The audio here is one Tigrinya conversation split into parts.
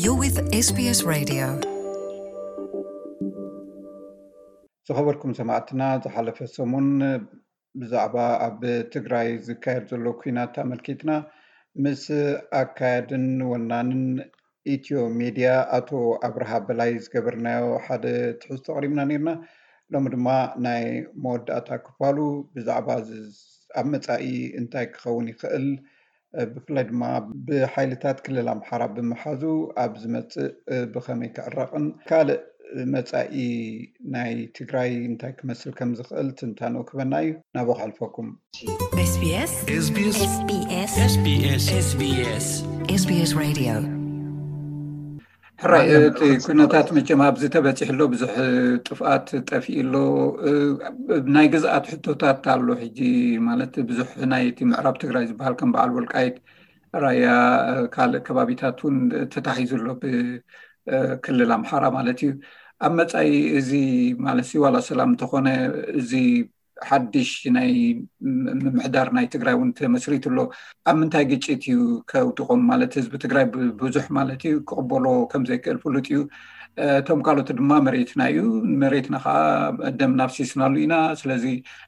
You're with S B S Radio. ዝኸበርኩም ሰማዕትና፣ ዝሓለፈ ሰሙን ብዛዕባ ኣብ ትግራይ ዝካየድ ዘሎ ኲናት ኣመልኪትና ምስ ኣካያድን ወናንን ኢትዮ ሜድያ ኣቶ ኣብርሃ በላይ ዝገበርናዮ ሓደ ትሕዝቶ ኣቕሪብና ነይርና። ሎሚ ድማ ናይ መወዳእታ ክፋሉ ብዛዕባ ዝ-፣ ኣብ መጻኢ እንታይ ክኸውን ይኽእል፣ ብፍላይ ድማ ብሓይልታት ክልል ኣምሓራ ብምሓዙ ኣብ ዝመጽእ ብኸመይ ክዕረቕን ካልእ መጻኢ ናይ ትግራይ እንታይ ክመስል ከም ዝኽእል ትንታነኡ ክበና እዩ። ናብኡ ከሕልፈኩም። SBS SBS SBS SBS SBS Radio። ሕራይ፣ እቲ ኩነታት መቸም ኣብዚ ተበፂሑ ኣሎ፣ ብዙሕ ጥፍኣት ጠፊኡ ኣሎ። ናይ ግዝኣት ሕቶታት ኣሎ። ሕጂ ማለት ብዙሕ ናይ እቲ ምዕራብ ትግራይ ዝበሃል ከም በዓል ወልቃይት፣ ራያ፣ ካልእ ከባቢታት እውን ተታሒዙ ኣሎ ብክልል ኣምሓራ ማለት እዩ። ኣብ መጻኢ እዚ ማለት ዋላ ሰላም እንተኾነ፣ እዚ ሓድሽ ናይ ም-፣ ምምሕዳር ናይ ትግራይ እውን ተመስሪቱ ኣሎ። ኣብ ምንታይ ግጭት እዩ ከውድቖም? ማለት ህዝቢ ትግራይ ብ-፣ ብዙሕ ማለት እዩ ክቕበሎ ከም ዘይክእል ፍሉጥ እዩ። እ፣ እቶም ካልኦት ድማ መሬትና እዩ፣ መሬትና ከዓ ደም ናፍሲስናሉ ኢና። ስለዚ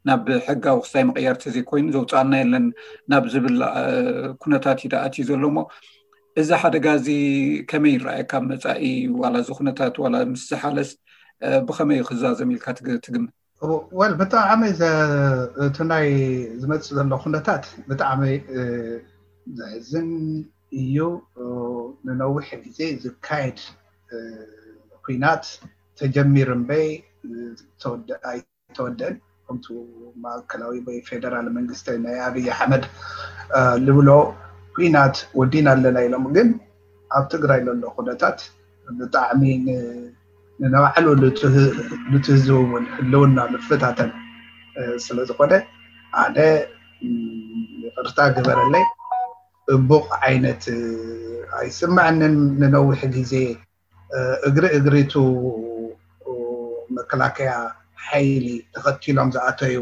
ናብ ሕጋዊ ክስታይ ምቕያር ተዘይኮይኑ ዘውፅኣና የለን ናብ ዝብል፣ እ፣ ኩነታት እዩ ኣትዩ ዘሎ። እሞ እዚ ሓደጋ እዚ ከመይ ይረኣየካ ኣብ መጻኢ? ዋላ እዚ ኩነታት ዋላ ምስ ዝሓለስ፣ እ፣ ብኸመይ እዩ ክዛዘም ኢልካ ትግ-፣ ትግምት? ወል፣ ብጣዕሚ ዘ-፣ እቲ ናይ ዝመጽእ ዘሎ ኩነታት ብጣዕሚ፣ እ፣ ዘሕዝን እዩ። እ፣ ንነዊሕ ግዜ ዝካየድ፣ እ፣ ኲናት ተጀሚሩ እምበይ፣ እ፣ ተወደ-፣ ኣይተወደን። ከምቱ ማእከላዊ ወይ ፌደራል መንግስቲ ናይ ኣብይ ኣሕመድ፣ እ፣ ልብሎ ኲናት ወዲና ኣለና ኢሎም፣ ግን ኣብ ትግራይ ዘሎ ኩነታት ብጣዕሚ ን-፣ ንባዕሉ ንትህ-፣ ንትህዝቡ እውን ህልውና ንፈታተን፣ እ፣ ስለ ዝኾነ ኣነ፣ ም፣ ይቕርታ ግበረለይ፣ ጽቡቕ ዓይነት፣ እ፣ ኣይስምዐንን። ንነዊሕ ግዜ፣ እ፣ እግሪ እግሪቱ መከላከያ ሓይሊ ተኸቲሎም ዝኣተዩ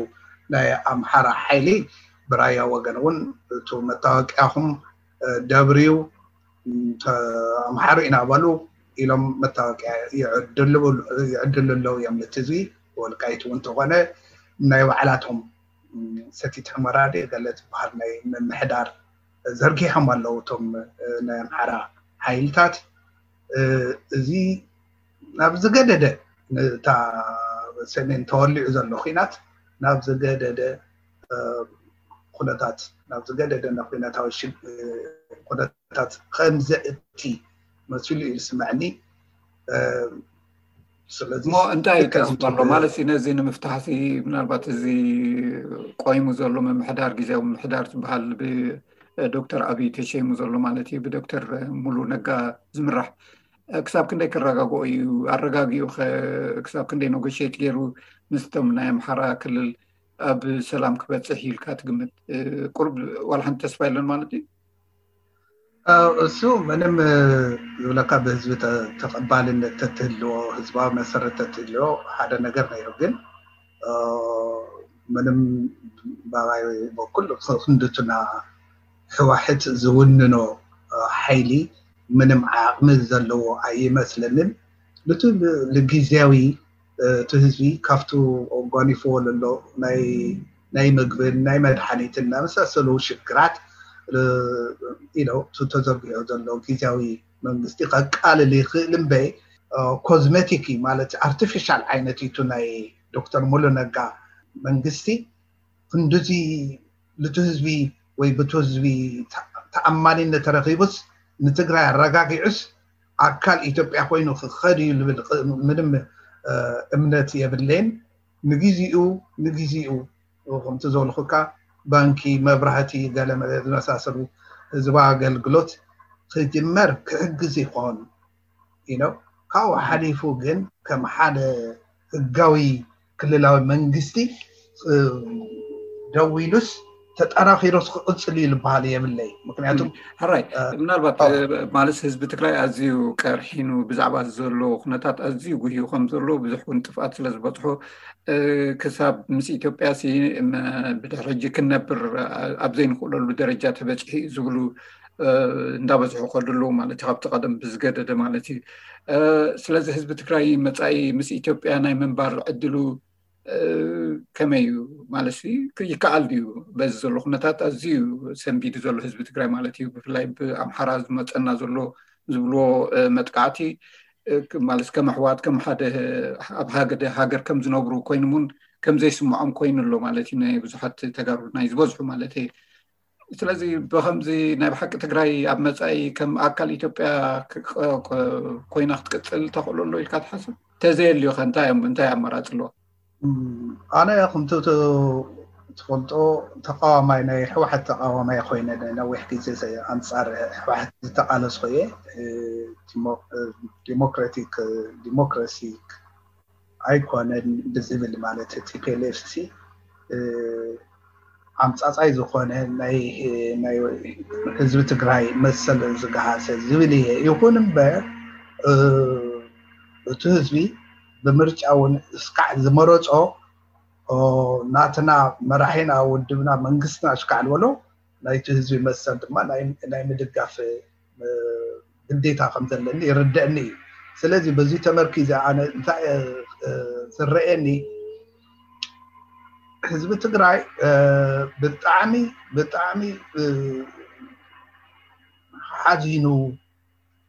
ናይ ኣምሓራ ሓይሊ ብራያ ወገን እውን እቱ መታወቂያኹም፣ እ፣ ደብርዩ፣ ተ-፣ ኣምሓሩ ኢና በሉ ኢሎም መታወቂያ ይዕድሉ፣ ይዕድሉ ኣለዉ እዮም። ነቲ ህዝቢ ወልቃይት እውን እንተኾነ ናይ ባዕላቶም፣ ም፣ ሰቲት ሕመራ ድየ ገለ ዝበሃል ናይ ምምሕዳር ዘርጊሖም ኣለዉ እቶም፣ እ፣ ናይ ኣምሓራ ሓይልታት። እ፣ እዚ ናብ ዝገደደ፣ ነታ ሰሜን ተወሊዑ ዘሎ ኲናት ናብ ዝገደደ፣ እ፣ ኩነታት፣ ናብ ዝገደደ ናይ ኩነታዊ ሽግ-፣ እ፣ ኩነታት ከም ዘእቲ መሲሉ እዩ ዝስምዐኒ። እ፣ ስለዚ እሞ እንታይ እዩ ልክዕ ተስፋ ኣሎ ከምቲ ማለት እዩ? ነዚ ንምፍታሕ ሲ ምናልባት እዚ ቆይሙ ዘሎ ምምሕዳር፣ ግዜያዊ ምምሕዳር ዝበሃል ብዶክተር ኣብይ ተሸይሙ ዘሎ ማለት እዩ፣ ብዶክተር ሙሉ ነጋ ዝምራሕ፣ ክሳብ ክንደይ ክረጋግኦ እዩ? ኣረጋጊኡ ኸ ክሳብ ክንደይ ኔጎሽየት ገይሩ ምስቶም ናይ ኣምሓራ ክልል ኣብ ሰላም ክበፅሕ ኢልካ ትግምት? ቁሩብ ዋላ ሓንቲ ተስፋ የለን ማለት እዩ? እ፣ እሱ ምንም፣ እ፣ ዝብለካ ብህዝቢ ተ-፣ ተቐባልነት ተትህልዎ፣ ህዝባዊ መሰረት ተትህልዎ ሓደ ነገር ነይሩ። ግን፣ እ፣ ምንም ባባይ በኩል ክንድቱና ህዋሕት ዝውንኖ፣ እ፣ ሓይሊ ምንም ዓቕሚ ዘለዎ ኣይመስለንን። ንቱ ል-፣ ልግዝያዊ፣ እ፣ እቲ ህዝቢ ካብቱ ጓኒፍዎ ለሎ ናይ፣ ናይ ምግብን ናይ መድሓኒትን ናይ መሳሰሉ ሽግራት፣ እ፣ ኢሎ፣ እቲ ተዘርጊሑ ዘሎ ግዝያዊ መንግስቲ ከቃልል ይኽእል እምበይ፣ እ፣ ኮዝሜቲክ እዩ፣ ማለት ኣርቲፊሻል ዓይነት እዩ። እቲ ናይ ዶክተር ሙሉ ነጋ መንግስቲ ክንድዚ ልቲ ህዝቢ ወይ ብቲ ህዝቢ ተ-፣ ተኣማኒነት ተረኺቡስ ንትግራይ ኣረጋጊዑስ ኣካል ኢትዮጵያ ኮይኑ ክኸድ እዩ ልብል ቕ-፣ ምንም፣ እ፣ እምነት የብለይን። ንግዜኡ፣ ንግዜኡ ከምቲ ዝበልኹካ ባንኪ፣ መብራህቲ፣ ገለ መለ ዝመሳሰሉ ህዝባዊ ኣገልግሎት ክጅመር ክሕግዝ ይኾን። You know፣ ካብኡ ሓሊፉ ግን ከም ሓደ ህጋዊ ክልላዊ መንግስቲ፣ እ፣ ደው ኢሉስ ተጠናኺሩስ ክቕጽል እዩ ዝበሃል የብለይ። ምክንያቱ፣ ሕራይ፣ እ፣ ምናልባት፣ ኦ። እ፣ ማለት ህዝቢ ትግራይ ኣዝዩ ቀርሒኑ ብዛዕባ ዘሎ ኩነታት ኣዝዩ ጉህዩ ከም ዘሎ ብዙሕ እውን ጥፍኣት ስለ ዝበጽሖ፣ እ፣ ክሳብ ምስ ኢትዮጵያ ሲ፣ ም፣ ብድሕሪ ሕጂ ክንነብር፣ እ፣ ኣብ ዘይንኽእለሉ ደረጃ ተበጺሑ እዩ ዝብሉ፣ እንዳበዝሑ ከድሉ ማለት እዩ፣ ካብቲ ቀደም ብዝገደደ ማለት እዩ። ስለዚ ህዝቢ ትግራይ መፃኢ ምስ ኢትዮጵያ ናይ ምንባር ዕድሉ ከመይ እዩ ማለት ይከኣል ድዩ? በዚ ዘሎ ኩነታት ኣዝዩ ሰንቢዱ ዘሎ ህዝቢ ትግራይ ማለት እዩ። ብፍላይ ብኣምሓራ ዝመፀና ዘሎ ዝብልዎ መጥቃዕቲ ማለት ከም ኣሕዋት ከም ሓደ ኣብ ሃገደ ሃገር ከም ዝነብሩ ኮይኖም እውን ከም ዘይስምዖም ኮይኑ ኣሎ ማለት እዩ። ናይ ብዙሓት ተጋሩ ናይ ዝበዝሑ ማለት እዩ። ስለዚ ብከምዚ ናይ ብሓቂ ትግራይ ኣብ መፃኢ ከም ኣካል ኢትዮጵያ ኮይና ክትቅፅል ተኽእሎ ኣሎ ኢልካ ትሓስብ? ተዘየልዩ ከ እንታይ ኣማራፂ ኣለዋ? ኣነ ከምቲ ትፈልጦ ተቃዋማይ ናይ ህወሓት ተቃዋማይ ኮይነ ነዊሕ ግዜ ኣንፃር ህወሓት ዝተቃለስኩ እየ። ዲሞክራቲክ ዲሞክራሲ ኣይኮነን ብዝብል ማለት ቲፒኤልኤፍ ሲ ዓምፃፃይ ዝኾነ ናይ ህዝቢ ትግራይ መሰል ዝገሃሰ ዝብል እየ። ይኹን እምበር እቲ ህዝቢ ብምርጫ እውን እስካዕ ዝመረፆ ናትና መራሒና ውድብና መንግስትና እስካዕ ዝበሎ ናይቲ ህዝቢ መሰል ድማ ናይ ምድጋፍ ግዴታ ከም ዘለኒ ይርደእኒ እዩ። ስለዚ በዚ ተመርኪዘ ኣነ እንታይ ዝረአየኒ ህዝቢ ትግራይ ብጣዕሚ ብጣዕሚ ሓዚኑ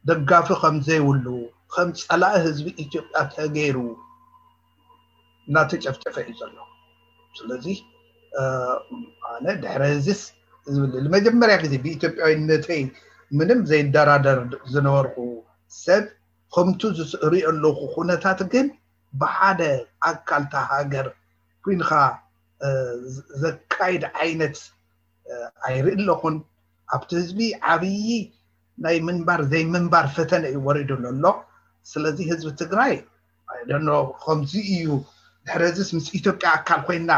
ደጋፊ ከም ዘይብሉ ከም ፀላኢ ህዝቢ ኢትዮጵያ ተገይሩ እናተጨፍጨፈ እዩ ዘሎ። ስለዚ ኣነ ድሕሪ ህዝስ ዝብል ንመጀመርያ ግዜ ብኢትዮጵያዊነተይ ምንም ዘይደራደር ዝነበርኩ ሰብ ከምቱ ዝርኢ ኣለኹ ኩነታት ግን ብሓደ ኣካልታ ሃገር ኩንካ ዘካይድ ዓይነት ኣይርኢ ኣለኹን። ኣብቲ ህዝቢ ዓብዪ ናይ ምንባር ዘይምንባር ፈተነ እዩ ወሪዱ ዘሎ። ስለዚ ህዝቢ ትግራይ ኣይደኖ ከምዚ እዩ ድሕረዚስ ምስ ኢትዮጵያ ኣካል ኮይና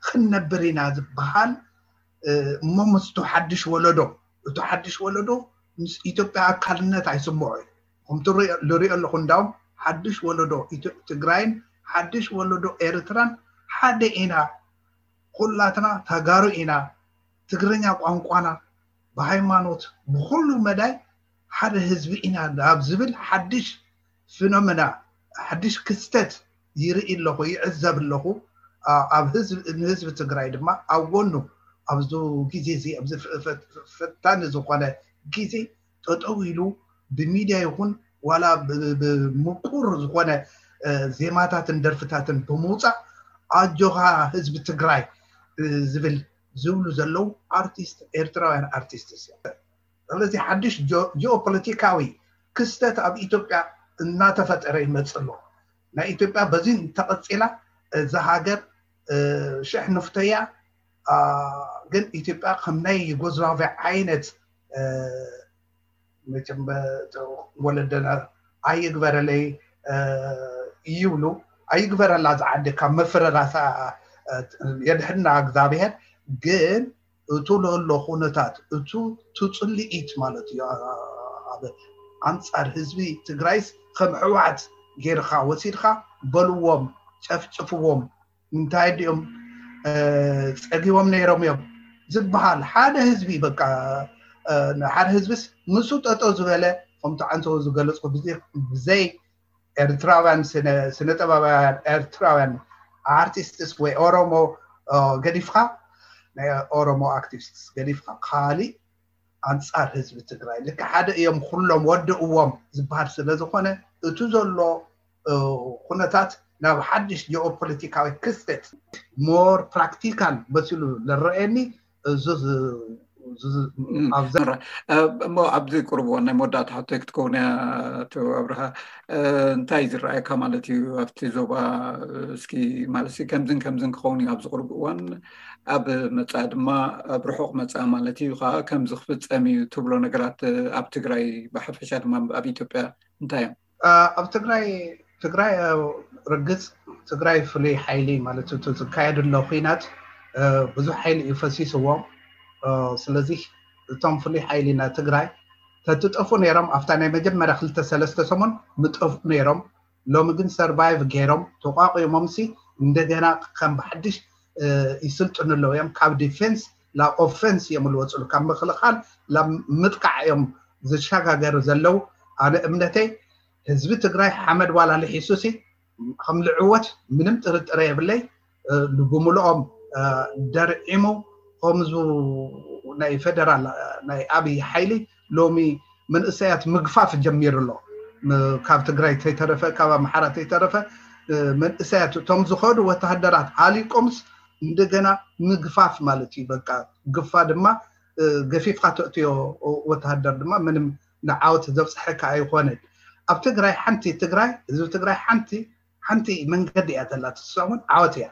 ክንነብር ኢና ዝበሃል እሞ ምስቱ ሓድሽ ወለዶ እቱ ሓድሽ ወለዶ ምስ ኢትዮጵያ ኣካልነት ኣይስምዖ እዩ። ከምቲ ዝሪኦ ኣለኹ እንዳውም ሓድሽ ወለዶ ትግራይን ሓድሽ ወለዶ ኤርትራን ሓደ ኢና። ኩላትና ተጋሩ ኢና። ትግርኛ ቋንቋና ብሃይማኖት ብኩሉ መዳይ ሓደ ህዝቢ ኢና ኣብ ዝብል ሓድሽ ፊኖመና ሓድሽ ክስተት ይርኢ ኣለኹ ይዕዘብ ኣለኹ። ኣብ ንህዝቢ ትግራይ ድማ ኣብ ጎኑ ኣብዚ ግዜ እዚ ኣብዚ ፈታኒ ዝኾነ ግዜ ጠጠው ኢሉ ብሚድያ ይኹን ዋላ ብምቁር ዝኾነ ዜማታትን ደርፍታትን ብምውፃእ ኣጆኻ ህዝቢ ትግራይ ዝብል ዝብሉ ዘለዉ ኣርቲስት ኤርትራውያን ኣርቲስት እዮም። ስለዚ ሓድሽ ጂኦፖለቲካዊ ክስተት ኣብ ኢትዮጵያ እናተፈጠረ ይመፅእ ኣሎ። ናይ ኢትዮጵያ በዚ እንተቐፂላ እዛ ሃገር ሽሕ ንፍተያ ግን ኢትዮጵያ ከም ናይ ዩጎዝላቪያ ዓይነት መቸም ወለደና ኣይግበረለይ ይብሉ። ኣይግበረላ ዝዓዲ ካብ መፍረራሳ የድሕና እግዚኣብሔር። ግን እቱ ለሎ ኩነታት እቱ ትፅልኢት ማለት እዩ ኣብ ኣንፃር ህዝቢ ትግራይስ ከም ሕወሓት ጌርካ ወሲድካ በልዎም ጨፍጭፍዎም እንታይ ድኦም ፀጊቦም ነይሮም እዮም ዝበሃል ሓደ ህዝቢ በቃ ሓደ ህዝብስ ንሱ ጠጠው ዝበለ ከምቲ ዓንተው ዝገለፅኩ ብዘይ ኤርትራውያን ስነ ጥበባውያን ኤርትራውያን ኣርቲስትስ ወይ ኦሮሞ ገዲፍካ ናይ ኦሮሞ ኣክቲቪስትስ ገዲፍካ ካሊእ ኣንፃር ህዝቢ ትግራይ ልክ ሓደ እዮም ኩሎም ወድእዎም ዝበሃል ስለ ዝኾነ እቱ ዘሎ ኩነታት ናብ ሓድሽ ጂኦፖለቲካዊ ክስተት ሞር ፕራክቲካል መሲሉ ዝረአየኒ እዙ እሞ ኣብዚ ቁርብ እዋን ናይ መወዳእታ ሕቶይ ክትከውን እያ። ኣቶ ኣብርሃ እንታይ ዝረኣየካ ማለት እዩ ኣብቲ ዞባ እስኪ ማለት ከምዝን ከምዝን ክኸውን እዩ ኣብዚ ቁርብ እዋን ኣብ መፃ ድማ ኣብ ርሑቕ መፃ ማለት እዩ ከዓ ከምዚ ክፍፀም እዩ ትብሎ ነገራት ኣብ ትግራይ ብሓፈሻ ድማ ኣብ ኢትዮጵያ እንታይ እዮም? ኣብ ትግራይ ትግራይ ርግፅ ትግራይ ፍሉይ ሓይሊ ማለት ዝካየድ ኣሎ ኩናት ብዙሕ ሓይሊ እዩ ፈሲስዎም። ስለዚ እቶም ፍሉይ ሓይሊ ናይ ትግራይ ተትጠፉ ነይሮም ኣብታ ናይ መጀመርያ ክልተ ሰለስተ ሰሙን ምጠፉ ነይሮም። ሎሚ ግን ሰርቫይቭ ገይሮም ተቋቂሞም ሲ እንደገና ከም ብሓድሽ ይስልጥኑ ኣለዉ እዮም ካብ ዲፌንስ ላብ ኦፈንስ እዮም ዝወፅሉ፣ ካብ ምክልኻል ላብ ምጥቃዕ እዮም ዝሸጋገሩ ዘለዉ። ኣነ እምነተይ ህዝቢ ትግራይ ሓመድ ዋላ ልሒሱሲ ከም ልዕወት ምንም ጥርጥረ የብለይ። ብምልኦም ደርዒሙ ከምዙ ናይ ፌደራል ናይ ኣብይ ሓይሊ ሎሚ መንእሰያት ምግፋፍ ጀሚሩ ኣሎ። ካብ ትግራይ ተይተረፈ ካብ ኣምሓራ ተይተረፈ መንእሰያት እቶም ዝኸዱ ወተሃደራት ኣሊቆምስ እንደገና ምግፋፍ ማለት እዩ። በቃ ግፋ ድማ ገፊፍካ ተእትዮ ወተሃደር ድማ ምንም ንዓወት ዘብፅሐካ ኣይኮነን። ኣብ ትግራይ ሓንቲ ትግራይ ህዝቢ ትግራይ ሓንቲ ሓንቲ መንገዲ እያ ተላ ትሳሙን ዓወት እያ።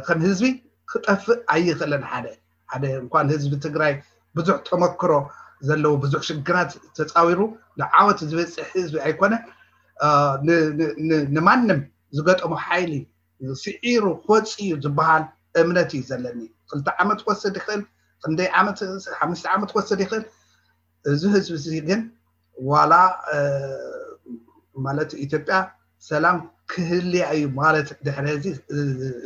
ከም ህዝቢ ክጠፍእ ኣይኽእልን። ሓደ ሓደ እንኳን ህዝቢ ትግራይ ብዙሕ ተመክሮ ዘለዎ ብዙሕ ሽግራት ተፃዊሩ ንዓወት ዝበፅሕ ህዝቢ ኣይኮነ። ንማንም ዝገጠሞ ሓይሊ ስዒሩ ክወፅእ እዩ ዝበሃል እምነት እዩ ዘለኒ። ክልተ ዓመት ክወስድ ይኽእል፣ ክንደይ ዓመት፣ ሓሙሽተ ዓመት ክወስድ ይኽእል። እዚ ህዝቢ እዚ ግን ዋላ ማለት ኢትዮጵያ ሰላም ክህልያ እዩ ማለት ድሕሪ እዚ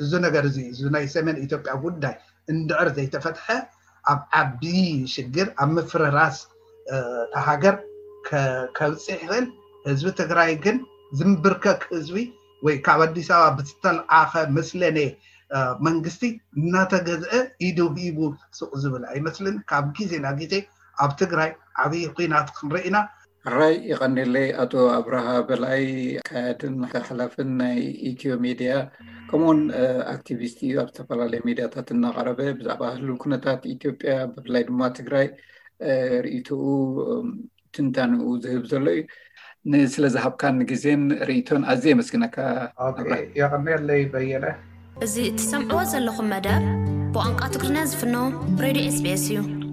እዚ ነገር እዚ እዚ ናይ ሰሜን ኢትዮጵያ ጉዳይ እንድዕር ዘይተፈትሐ ኣብ ዓቢ ሽግር ኣብ ምፍርራስ እታ ሃገር ከብፅሕ ይኽእል። ህዝቢ ትግራይ ግን ዝምብርከክ ህዝቢ ወይ ካብ ኣዲስ ኣበባ ብዝተልኣኸ መስለኔ መንግስቲ እናተገዝአ ኢዱ ሂቡ ስቕ ዝብል ኣይመስልን። ካብ ግዜ ናብ ግዜ ኣብ ትግራይ ዓብዪ ኲናት ክንርኢ ኢና። ሕራይ ይቐኒለይ ኣቶ ኣብርሃ በላይ፣ ኣካያድን ሓላፍን ናይ ኢትዮ ሚድያ ከምኡውን ኣክቲቪስት እዩ። ኣብ ዝተፈላለዩ ሚድያታት እናቐረበ ብዛዕባ ህልው ኩነታት ኢትዮጵያ ብፍላይ ድማ ትግራይ ርእይትኡ ትንታንኡ ዝህብ ዘሎ እዩ። ንስለ ዝሃብካኒ ግዜን ርእይቶን ኣዝየ የመስግነካ። የቐንየለይ በየነ። እዚ እትሰምዕዎ ዘለኹም መደብ ብቋንቋ ትግርኛ ዝፍኖ ሬድዮ ኤስቢኤስ እዩ።